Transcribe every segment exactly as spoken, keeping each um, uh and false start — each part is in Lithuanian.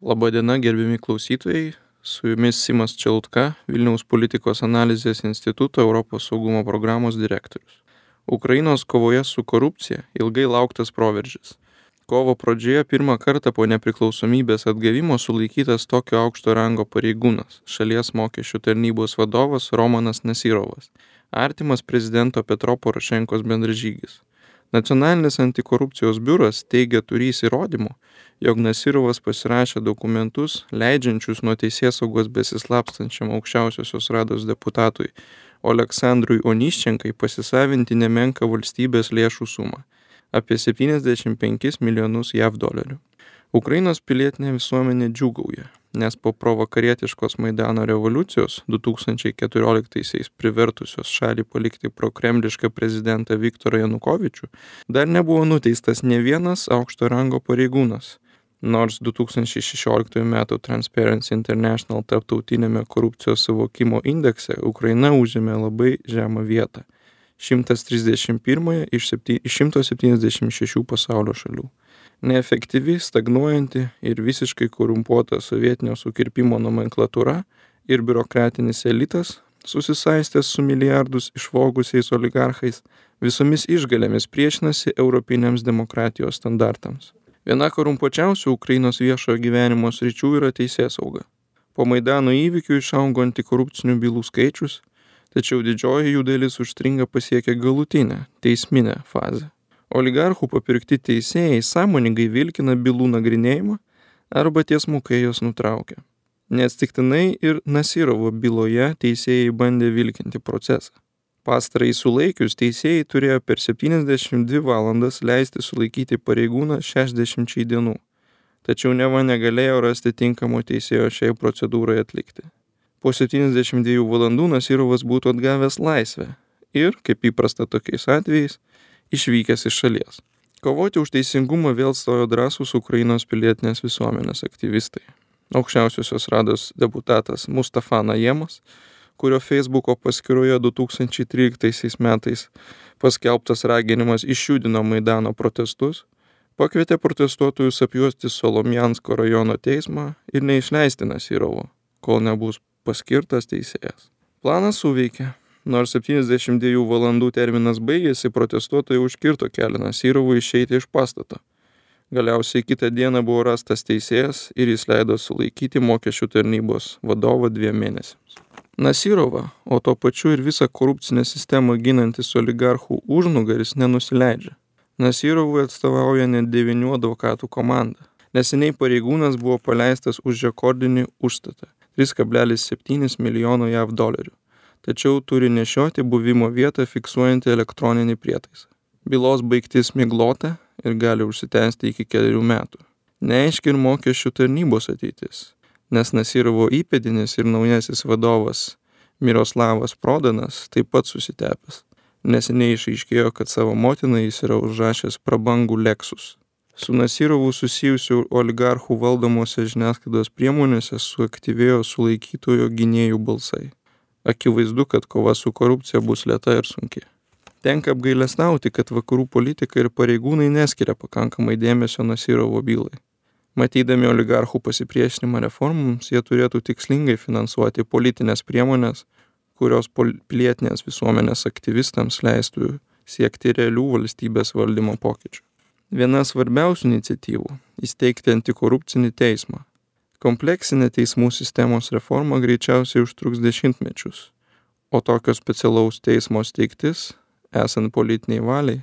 Labadiena, gerbiami klausytojai, su jumis Simas Čelutka, Vilniaus politikos analizės instituto Europos saugumo programos direktorius. Ukrainos kovoje su korupcija ilgai lauktas proveržis. Kovo pradžioje pirmą kartą po nepriklausomybės atgavimo sulaikytas tokio aukšto rango pareigūnas, šalies mokesčių tarnybos vadovas Romanas Nasyrovas, artimas prezidento Petro Porošenkos bendražygis. Nacionalinis antikorupcijos biuras teigia turys įrodymų, jog Nasyrovas pasirašė dokumentus, leidžiančius nuo teisėsaugos besislapstančiam aukščiausiosios rados deputatui Oleksandrui Onyščenkai pasisavinti nemenką valstybės lėšų sumą – apie septyniasdešimt penkis milijonus jav dolerių. Ukrainos pilietinė visuomenė džiūgauja, nes po provakarietiškos Maidano revoliucijos du tūkstančiai keturioliktaisiais privertusios šalį palikti prokremlišką prezidentą Viktorą Janukovyčių, dar nebuvo nuteistas ne vienas aukšto rango pareigūnas, nors du tūkstančiai šešioliktųjų metų Transparency International tarptautinėme korupcijos suvokimo indekse Ukraina užėmė labai žemą vietą – šimtas trisdešimt pirmąją iš šimto septyniasdešimt šešių pasaulio šalių. Neefektyvi, stagnuojanti ir visiškai korumpuota sovietinio sukirpimo nomenklatūra ir biurokratinis elitas, susisaistęs su milijardus išvogusiais oligarchais, visomis išgalėmis priešinasi europiniams demokratijos standartams. Viena korumpuočiausių Ukrainos viešojo gyvenimo sričių yra teisėsauga. Po Maidano įvykių išaugo antikorupcinių bylų skaičius, tačiau didžioji jų dalis užstringa pasiekę galutinę, teisminę fazę. Oligarchų papirkti teisėjai sąmoningai vilkina bylų nagrinėjimą arba tiesmukai jos nutraukia. Neatsitiktinai ir Nasyrovo byloje teisėjai bandė vilkinti procesą. Pastarąjį sulaikius teisėjai turėjo per septyniasdešimt dvi valandas leisti sulaikyti pareigūną šešiasdešimčiai dienų, tačiau neva negalėjo rasti tinkamo teisėjo šiai procedūrai atlikti. Po septyniasdešimt dviejų valandų Nasyrovas būtų atgavęs laisvę ir, kaip įprasta tokiais atvejais, išvykęs iš šalies. Kovoti už teisingumą vėl stojo drąsūs Ukrainos pilietinės visuomenės aktyvistai. Aukščiausiosios rados deputatas Mustafa Najemas, kurio Facebooko paskyroje du tūkstančiai tryliktaisiais metais paskelbtas raginimas išjudino Maidano protestus, pakvietė protestuotojus apjuosti Solomjansko rajono teismą ir neišleisti Nasyrovo, kol nebus paskirtas teisėjas. Planas suveikė. Nors septyniasdešimt dviejų valandų terminas baigėsi, protestuotojai užkirto kelią Nasyrovui išeiti iš pastato. Galiausiai kitą dieną buvo rastas teisėjas ir jis leido sulaikyti mokesčių tarnybos vadovą dviem mėnesiams. Nasyrova, o to pačiu ir visą korupcinę sistemą ginantis oligarchų užnugaris nenusileidžia. Nasyrovui atstovauja net devynių advokatų komanda. Neseniai pareigūnas buvo paleistas už rekordinį užstatą – trys kablelis septyni milijono jav dolerių. Tačiau turi nešioti buvimo vietą fiksuojantį elektroninį prietaisą. Bylos baigtis miglota ir gali užsitęsti iki kelių metų. Neaiški ir mokesčių tarnybos ateitis, nes Nasyrovo įpėdinis ir naujasis vadovas Miroslavas Prodanas taip pat susitepęs. Neseniai išaiškėjo, kad savo motinai jis yra užrašęs prabangų Lexus. Su Nasyrovu susijusių oligarchų valdomose žiniasklaidos priemonėse suaktyvėjo sulaikytojo gynėjų balsai. Akivaizdu, kad kova su korupcija bus lėta ir sunki. Tenka apgailestauti, kad vakarų politikai ir pareigūnai neskiria pakankamai dėmesio Nasyrovo bylai. Matydami oligarchų pasipriešinimą reformoms, jie turėtų tikslingai finansuoti politinės priemonės, kurios pilietinės visuomenės aktyvistams leistų siekti realių valstybės valdymo pokyčių. Viena svarbiausių iniciatyvų – įsteigti antikorupcinį teismą. Kompleksinė teismų sistemos reforma greičiausiai užtruks dešimtmečius, o tokio specialaus teismo steigtis, esant politiniai valiai,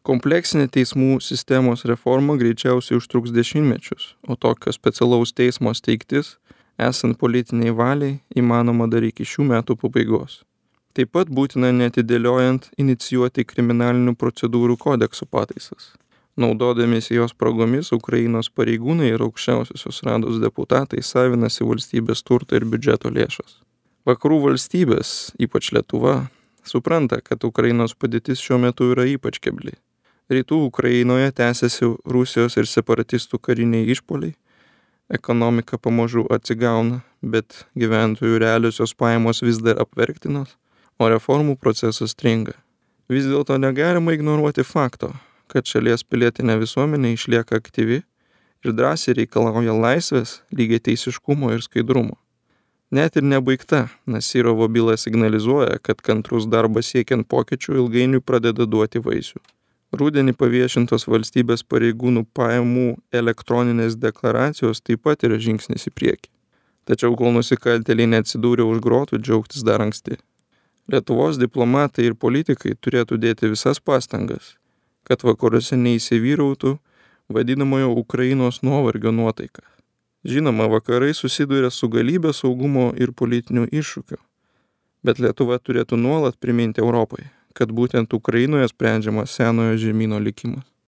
kompleksinė teismų sistemos reforma greičiausiai užtruks dešimtmečius, o tokio specialaus teismo steigtis, esant politiniai valiai, įmanoma dar iki šių metų pabaigos. Taip pat būtina neatidėliojant inicijuoti kriminalinių procedūrų kodekso pataisas. Naudodamiesi jos spragomis, Ukrainos pareigūnai ir aukščiausiosios rados deputatai savinasi valstybės turtą ir biudžeto lėšas. Vakarų valstybės, ypač Lietuva, supranta, kad Ukrainos padėtis šiuo metu yra ypač kebli. Rytų Ukrainoje tęsiasi Rusijos ir separatistų kariniai išpuoliai, ekonomika pamažu atsigauna, bet gyventojų realiosios pajamos vis dar apverktinos, o reformų procesas stringa. Vis dėlto negalima ignoruoti fakto, kad šalies pilietinė visuomenė išlieka aktyvi ir drąsiai reikalauja laisvės, lygiateisiškumo ir skaidrumo. Net ir nebaigta Nasyrovo byla signalizuoja, kad kantrus darbas siekiant pokyčių ilgainiui pradeda duoti vaisių. Rudenį paviešintos valstybės pareigūnų pajamų elektroninės deklaracijos taip pat yra žingsnis į priekį. Tačiau kol nusikaltėliai neatsidūrė už grotų, džiaugtis dar anksti. Lietuvos diplomatai ir politikai turėtų dėti visas pastangas, kad vakaruose neįsivyrautų vadinamojo Ukrainos nuovargio nuotaika. Žinoma, vakarai susiduria su galybė saugumo ir politinių iššūkių, bet Lietuva turėtų nuolat priminti Europai, kad būtent Ukrainoje sprendžiamas senojo žemyno likimas.